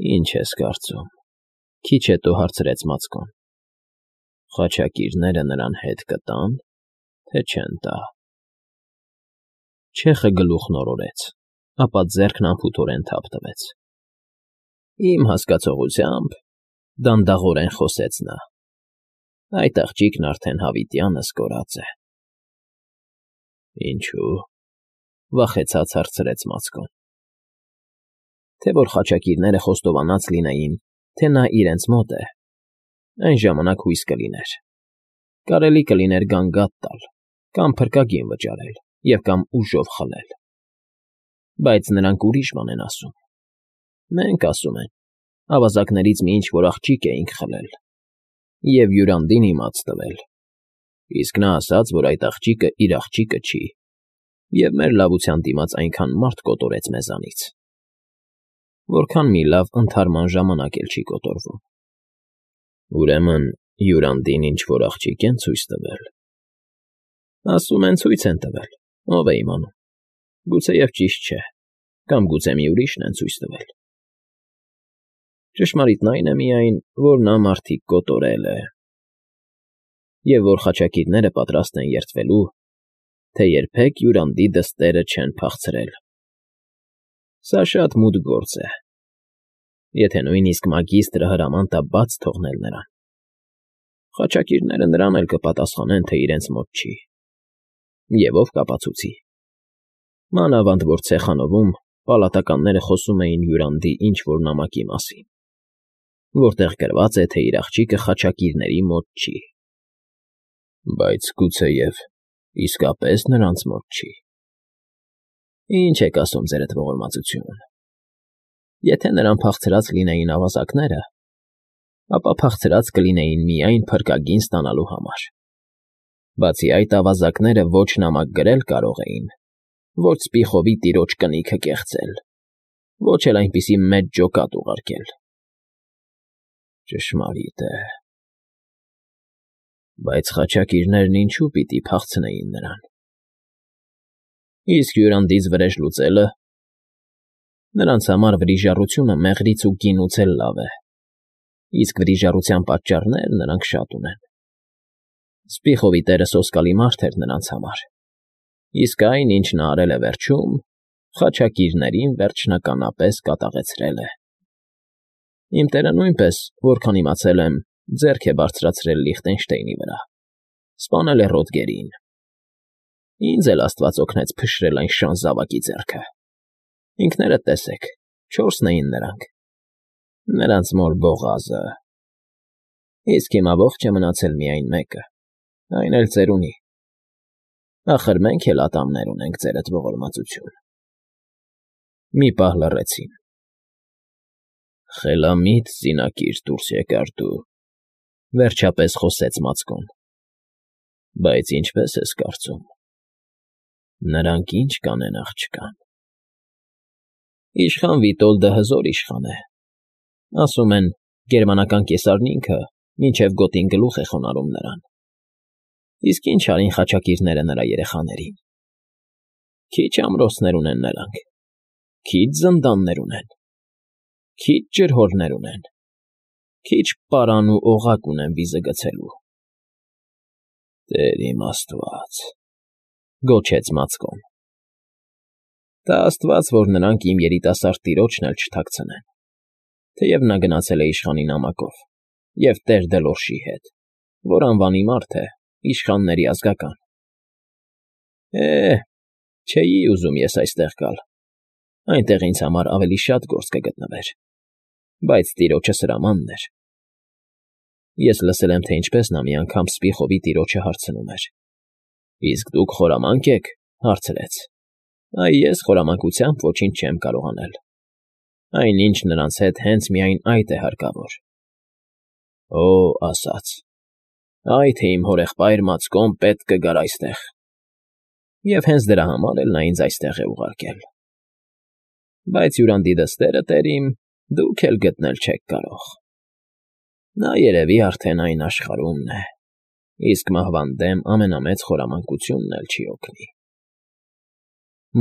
Ինչ ես կարծում,֊ քիչ հետո հարցրեց Մացկոն։ Խաչակիրները նրան հետ կտա՞ն, թե չեն տա։ Չեխը գլուխն օրորեց, ապա ձեռքն անփութորեն թափ տվեց։ Իմ հասկացողությամբ,֊ դանդաղորեն խոսեց նա,֊ այդ աղջիկն արդեն հավիտյանս կորած է։ Ինչո՞ւ,֊ վախեցած հարցրեց Մացկոն։ Թե որ խաչակիրները խոստովանած լինեին, թե նա իրենց մոտ է, այն ժամանակ հույս կլիներ, կարելի կլիներ գանգատ տալ կամ փրկագին վճարել և կամ ուժով խլել։ Բայց նրանք ուրիշ բան են ասում։ Մենք, ասում են, ավազակներից մի ինչ֊որ աղջիկ էինք խլել և Յուրանդին իմաց տվել, իսկ նա ասաց, որ այդ աղջիկը իր աղջիկը չի, և մեր լավության դիմաց այնքան մարդ կոտորեց մեզանից, որքան մի լավ ընդհարման ժամանակ էլ չի կոտորվում։ Ուրեմն Յուրանդին ինչ֊որ աղջիկ են ցույց տվել։ Ասում են ցույց են տվել, ով է իմանում, գուցեև ճիշտ չէ, կամ գուցե մի ուրիշն են ցույց տվել։ Ճշմարիտն այն է միայն, որ նա մարդիկ կոտորել է, և որ խաչակիրները պատրաստ են երդվելու, թե երբեք Յուրանդի դստերը չեն փախցրել։ Սա շատ մութ գործ է, եթե նույնիսկ մագիստրը հրաման տա բաց թողնել նրան, խաչակիրները նրան էլ կպատասխանեն, թե իրենց մոտ չի։ Եվ ով կապացուցի։ Մանավանդ որ ցեխանովում պալատականները խոսում էին Յուրանդի ինչ֊որ նամակի մասին, որտեղ գրված է, թե իր աղջիկը խաչակիրների մոտ չի։ Բայց գուցեև իսկապես նրանց մոտ չի։ Ինչ եք ասում, ձերդ ողորմածություն։ Եթե նրան փախցրած լինեին ավազակները, ապա փախցրած կլինեին միայն փրկագին ստանալու համար։ Բացի այդ, ավազակները ոչ նամակ գրել կարող էին, ոչ Սպիխովի տիրոջ կնիքը կեղծել, ոչ էլ այնպիսի մեծ ջոկատ ուղարկել։ Ճշմարիտ է։ Բայց խաչակիրներն ինչու պիտի փախցնեին նրան։ Իսկ Յուրանդից վրեժ լուծելը։ Նրանց համար վրիժառությունը մեղրից ու գինուց էլ լավ է, իսկ վրիժառության պատճառներ նրանք շատ ունեն։ Սպիխովի տերը սոսկալի մարդ էր նրանց համար, իսկ այն, ինչ նա արել է վերջում, խաչակիրներին վերջնականապես կատաղեցրել է։ Իմ տերը նույնպես, որքան իմացել եմ, ձեռք է բարձրացրել Լիխտենշտեյնի վրա, սպանել է Ռոդգերին։ Ինձ էլ Աստված օգնեց փշրել այն շան զավակի ձեռքը։ Ինքներդ տեսեք, 4-ն էին նրանք։ Նրանց մոր Բողազը։ Իսկ հիմա ողջ է մնացել միայն մեկը, այն էլ ծերունի։ Ախր մենք էլ ատամներ ունենք, ձերդ ողորմածություն։ Մի պահ լռեցին։ Խելամիտ զինակիր դուրս եկար դու, վերջապես խոսեց Մացկոն։ Բայց ինչպես ես կարծում, նրանք ինչ կանեն աղջկան։ Իշխան Վիտոլդը հզոր իշխան է։ Ասում են, գերմանական կեսարն ինքը մինչև գոտին գլուխ է խոնարհում նրան։ Իսկ ինչ արին խաչակիրները նրա երեխաներին։ Քիչ ամրոցներ ունեն նրանք, քիչ զնդաններ ունեն, քիչ ջրհորներ ունեն, քիչ պարան ու օղակ ունեն վիզը գցելու։ Տեր իմ Աստված,֊ գոչեց Մացկոն։ Տա Աստված, որ նրանք իմ երիտասարդ տիրոջն էլ չթաքցնեն, թեև նա գնացել է իշխանի նամակով և տեր Դելորշի հետ, որ անվանի մարդ է, իշխանների ազգական։ Չէի ուզում ես այստեղ գալ, այնտեղ ինձ համար ավելի շատ գործ կգտնվեր, բայց տիրոջս հրամանն էր։ Ես լսել եմ, թե ինչպես նա մի անգամ Սպիխովի տիրոջը հարցնում էր. Իսկ դուք խորամանկ եք, հարցրեց։ Այ ես խորամանկությամբ ոչինչ չեմ կարող անել։ Այնինչ նրանց հետ հենց միայն այդ է հարկավոր։ Օ, ասաց. Այ թե իմ հորեղբայր Մացկոն պետք կգար այստեղ։ Եվ հենց դրա համար էլ նա ինձ այստեղ է ուղարկել։ Բայց Յուրանդի դստերը, տերիմ, դուք էլ գտնել չեք կարող։ Նա երևի արդեն այն աշխարհումն է, իսկ մահվան դեմ ամենամեծ խորամանկությունն էլ չի օգնի։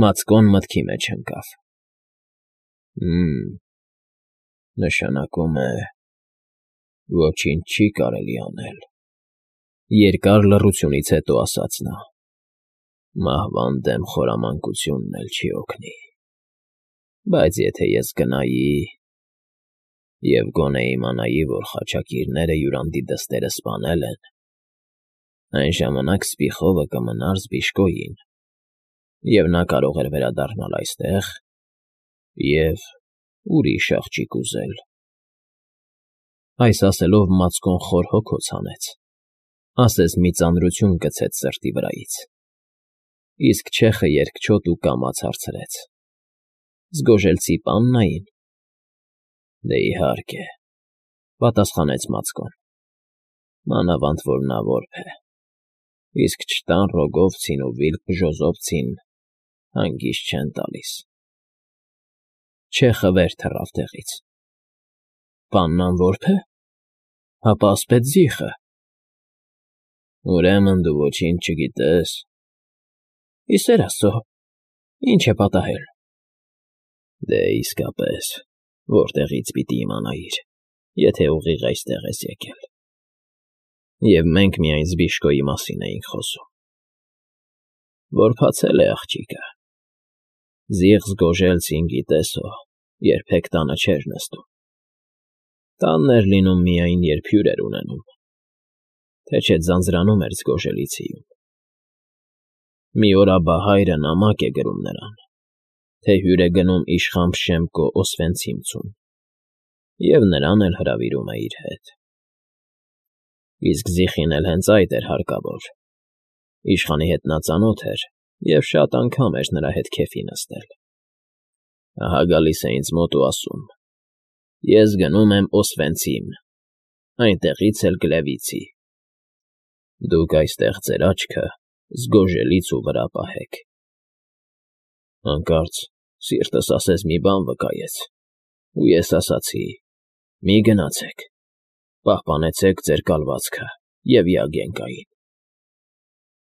Մացկոն մտքի մեջ ընկավ։ Նշանակում է, ոչինչ չի կարելի անել, երկար լռությունից հետո ասաց նա. մահվան դեմ խորամանկությունն էլ չի օգնի, բայց եթե ես գնայի և գոնե իմանայի, որ խաչակիրները յուրանդի դստերը սպանել են, այն ժամանակ սպիխովը կմնար Զբիշկոյին, և նա կարող էր վերադառնալ այստեղ և ուրիշ աղջիկ ուզել։ Այս ասելով մածկոն խոր հոգոց հանեց, ասես մի ծանրություն գցեց սրտի վրայից, իսկ չեխը երկչոտ ու կամաց հարցրեց. Զգոժելցի պաննային։ Դե իհարկե, պատասխանեց մածկոն, մանավանդ որ նա որբ է, իսկ չտան Ռոգովցին ու Վիլկ Բժոզովցին հանգիստ չեն տալիս։ Չեխը վեր թռավ տեղից։ Պաննան որբ է, հապա ասպետզիխը։ Ուրեմն դու ոչինչ չգիտես։ Ի սեր Աստծո, ինչ է պատահել։ Դե իսկապես, որտեղից պիտի իմանայիր, եթե ուղիղ այստեղ ես եկել։ Եվ մենք միայն Զբիշկոյի մասին էինք խոսում։ Որ փացել է աղջիկը։ Զիղ Զգոժելցին գիտեսո, երբեք տանը չէր նստում։ Տանն էր լինում միայն, երբ հյուր էր ունենում, թե չէ ձանձրանում էր Զգոժելիցիում։ Մի օր աբահայրը նամակ է գրում նրան, թե հյուր է գնում իշխան Փշեմկո Օսվենցիմցուն, և նրան էլ հրավիրում է իր հետ։ Իսկ Զիխին էլ հենց այդ էր հարկավոր։ Իշխանի հետ նա ծանոթ էր և շատ անգամ էր նրա հետ քեֆի նստել։ Ահա գալիս է ինձ մոտ ու ասում. ես գնում եմ Օսվենցիմ, այնտեղից էլ Գլևիցի։ Դուք այստեղ ձեր աչքը Զգոժելից ու վրա պահեք։ Հանկարծ սիրտս ասես մի բան վկայեց, ու ես ասացի. մի գնացեք, պահպանեցեք ձեր կալվածքը և Յագենկային։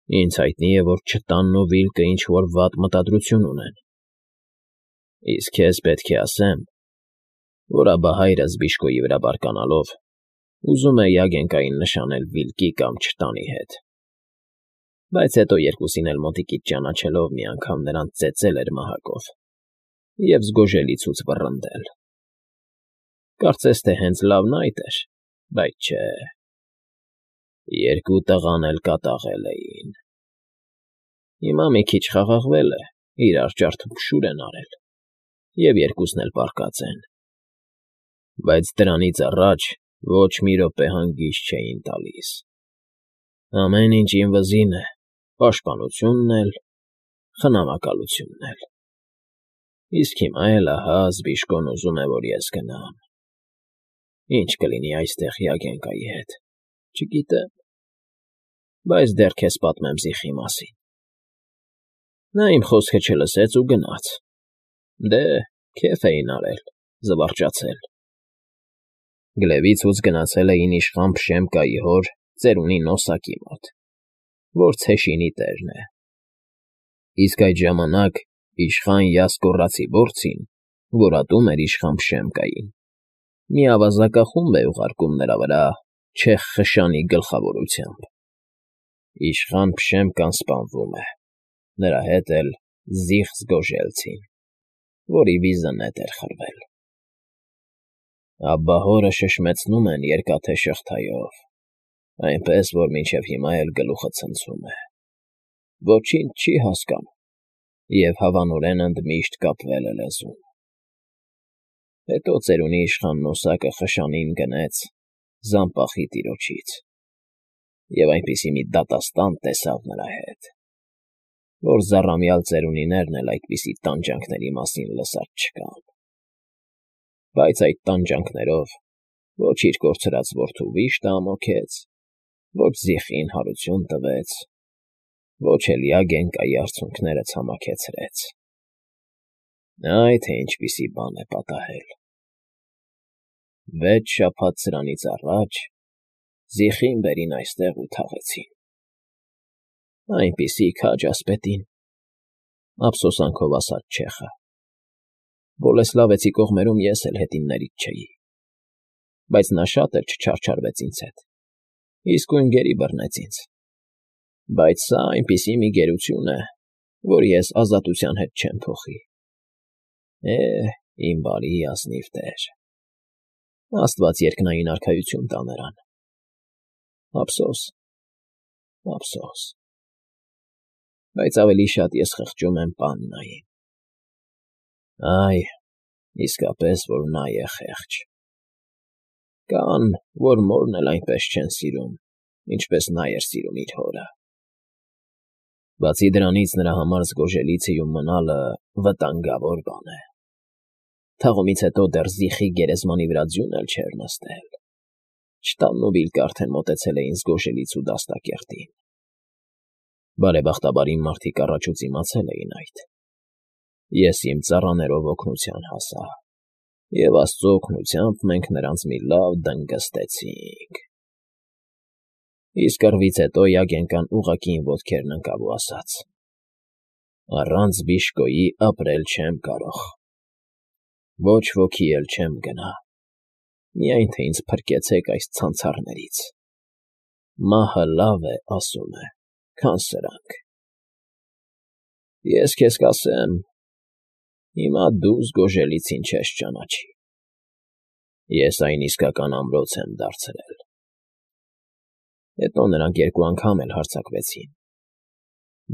Ինձ հայտնի է, որ Չտանն ու Վիլկը ինչ-որ վատ մտադրություն ունեն։ Իսկ քեզ պետք է ասեմ, որ աբահայրը Զբիշկոյի վրա բարկանալով ուզում է Յագենկային նշանել Վիլկի կամ Չտանի հետ, բայց հետո երկուսին էլ մոտիկից ճանաչելով մի անգամ նրանց ծեծել էր մահակով և Զգոժելիցուց վռնդել։ Կարծես թե հենց լավն այդ էր, բայց չէ։ Երկու տղան էլ կատաղել էին։ Հիմա մի քիչ խաղաղվել է, իրար ջարդուփշուր են արել, և երկուսն էլ պառկած են։ Բայց դրանից առաջ ոչ մի րոպե հանգիստ չէին տալիս։ Ամեն ինչ իմ վզին է, պաշտպանությունն էլ, խնամակալությունն էլ։ Իսկ հիմա էլ ահա Զբիշկոն ուզում է, որ ես գնամ։ Ինչ կլինի այստեղ Յագենկայի հետ, չգիտեմ, բայց դեռ քեզ պատմեմ Զիխի մասին։ Նա իմ խոսքը չլսեց ու գնաց։ Դե, քեֆ էին արել, զվարճացել։ Գլևիցուց գնացել էին իշխան Փշեմկայի հոր ծերունի Նոսակի մոտ, որ Ցեշինի տերն է։ Իսկ այդ ժամանակ իշխան Յասկոռացիբորցին, որ ատում էր իշխան Փշեմկային, մի ավազակախումբ է ուղարկում նրա վրա չեխ խշանի գլխավորությամբ։ Իշխան Փշեմկան սպանվում է, նրա հետ էլ Զիխ Զգոժելցին, որի վիզը նետ էր խրվել։ Աբբահորը շշմեցնում են երկաթե շղթայով, այնպես, որ մինչև հիմա էլ գլուխը ցնցում է։ Ոչինչ չի հասկանում և հավանորեն ընդմիշտ կապվել է լեզուն։ Հետո ծերունի իշխան Նոսակը խշանին գնեց Զամպախի տիրոջից և այնպիսի մի դատաստան տեսավ նրա հետ, որ զառամյալ ծերունիներն էլ այդպիսի տանջանքների մասին լսած չկան։ Բայց այդ տանջանքներով ոչ իր կորցրած որդու վիշտը ամոքեց, ոչ Զիխին հարություն տվեց, ոչ էլ Յագենկայի արցունքները ցամաքեցրեց։ Այ թե ինչպիսի բան է պատահել։ 6 շաբաթ սրանից առաջ Զիխին բերին այստեղ ու թաղեցին։ Այնպիսի քաջ ասպետին, ափսոսանքով ասաց չեխը։ Բոլեսլավեցի կողմերում ես էլ հետիններից չէի։ բայց նա շատ էլ չչարչարվեց ինձ հետ, իսկույն գերի բռնեց ինձ, բայց սա այնպիսի մի գերություն է, որ ես ազատության հետ չեմ փոխի։ Իմ բարի ազնիվ տեր, Աստված երկնային արքայություն տա նրան։ Ափսոս, ափսոս, բայց ավելի շատ ես խղճում եմ պաննային։ Այ, իսկապես, որ նա է խեղճ։ Կան, որ մորն էլ այնպես չեն սիրում, ինչպես նա էր սիրում իր հորը։ Բացի դրանից նրա համար զգոժելիցիում մնալը վտանգավոր բան է։ Թաղումից հետո դեռ զիխի գերեզմանի վրա ձյուն էլ չէր նստել։ Չտալն ու Վիլկը արդեն մոտեցել էին զգոժելիցու դաստակերտին։ Բարեբախտաբար իմ մարդիկ առաջուց իմացել էին այդ։ Ես իմ ծառաներով օգնության հասա, և Աստծո օգնությամբ մենք նրանց մի լավ դնգստեցինք։ Իսկ կռվից հետո Յագենկան ուղղակի իմ ոտքերն ընկավ ու ասաց. «Առանց Բիշկոյի ապրել չեմ կարող, ոչ ոքի էլ չեմ գնա, միայն թե ինձ փրկեցեք այս ցանցառներից։ Մահը լավ է, ասում է, քան սրանք։ Ես քեզ կասեմ, հիմա դու զգոժելիցին չես ճանաչի։ Ես այն իսկական ամրոց եմ դարձրել»։ Հետո նրանք երկու անգամ էլ հարձակվեցին,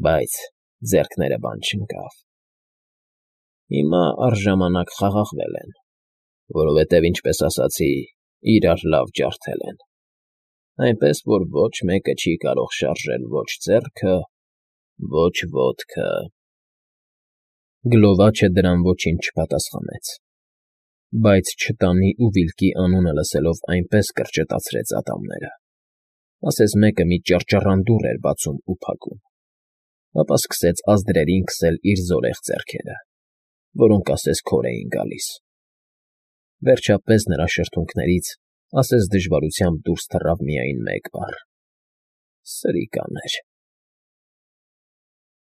բայց ձեռքները բան չընկավ։ Հիմա առժամանակ խաղաղվել են, որովհետև, ինչպես ասացի, իրար լավ ջարդել են, այնպես որ ոչ մեկը չի կարող շարժել ոչ ձեռքը, ոչ ոտքը։ Գլովաչը դրան ոչինչ չպատասխանեց, բայց չտանի ու Վիլկի անունը լսելով այնպես կրճտացրեց ատամները, ասես մեկը մի ճռճռանդուռ էր բացում ու փակում, ապա սկսեց ազդրերին քսել իր զորեղ ձեռքերը, որոնք ասես քոր էին գալիս։ Վերջապես նրա շրթունքներից ասես դժվարությամբ դուրս թռավ միայն մեկ բառ. «Սրիկաներ»։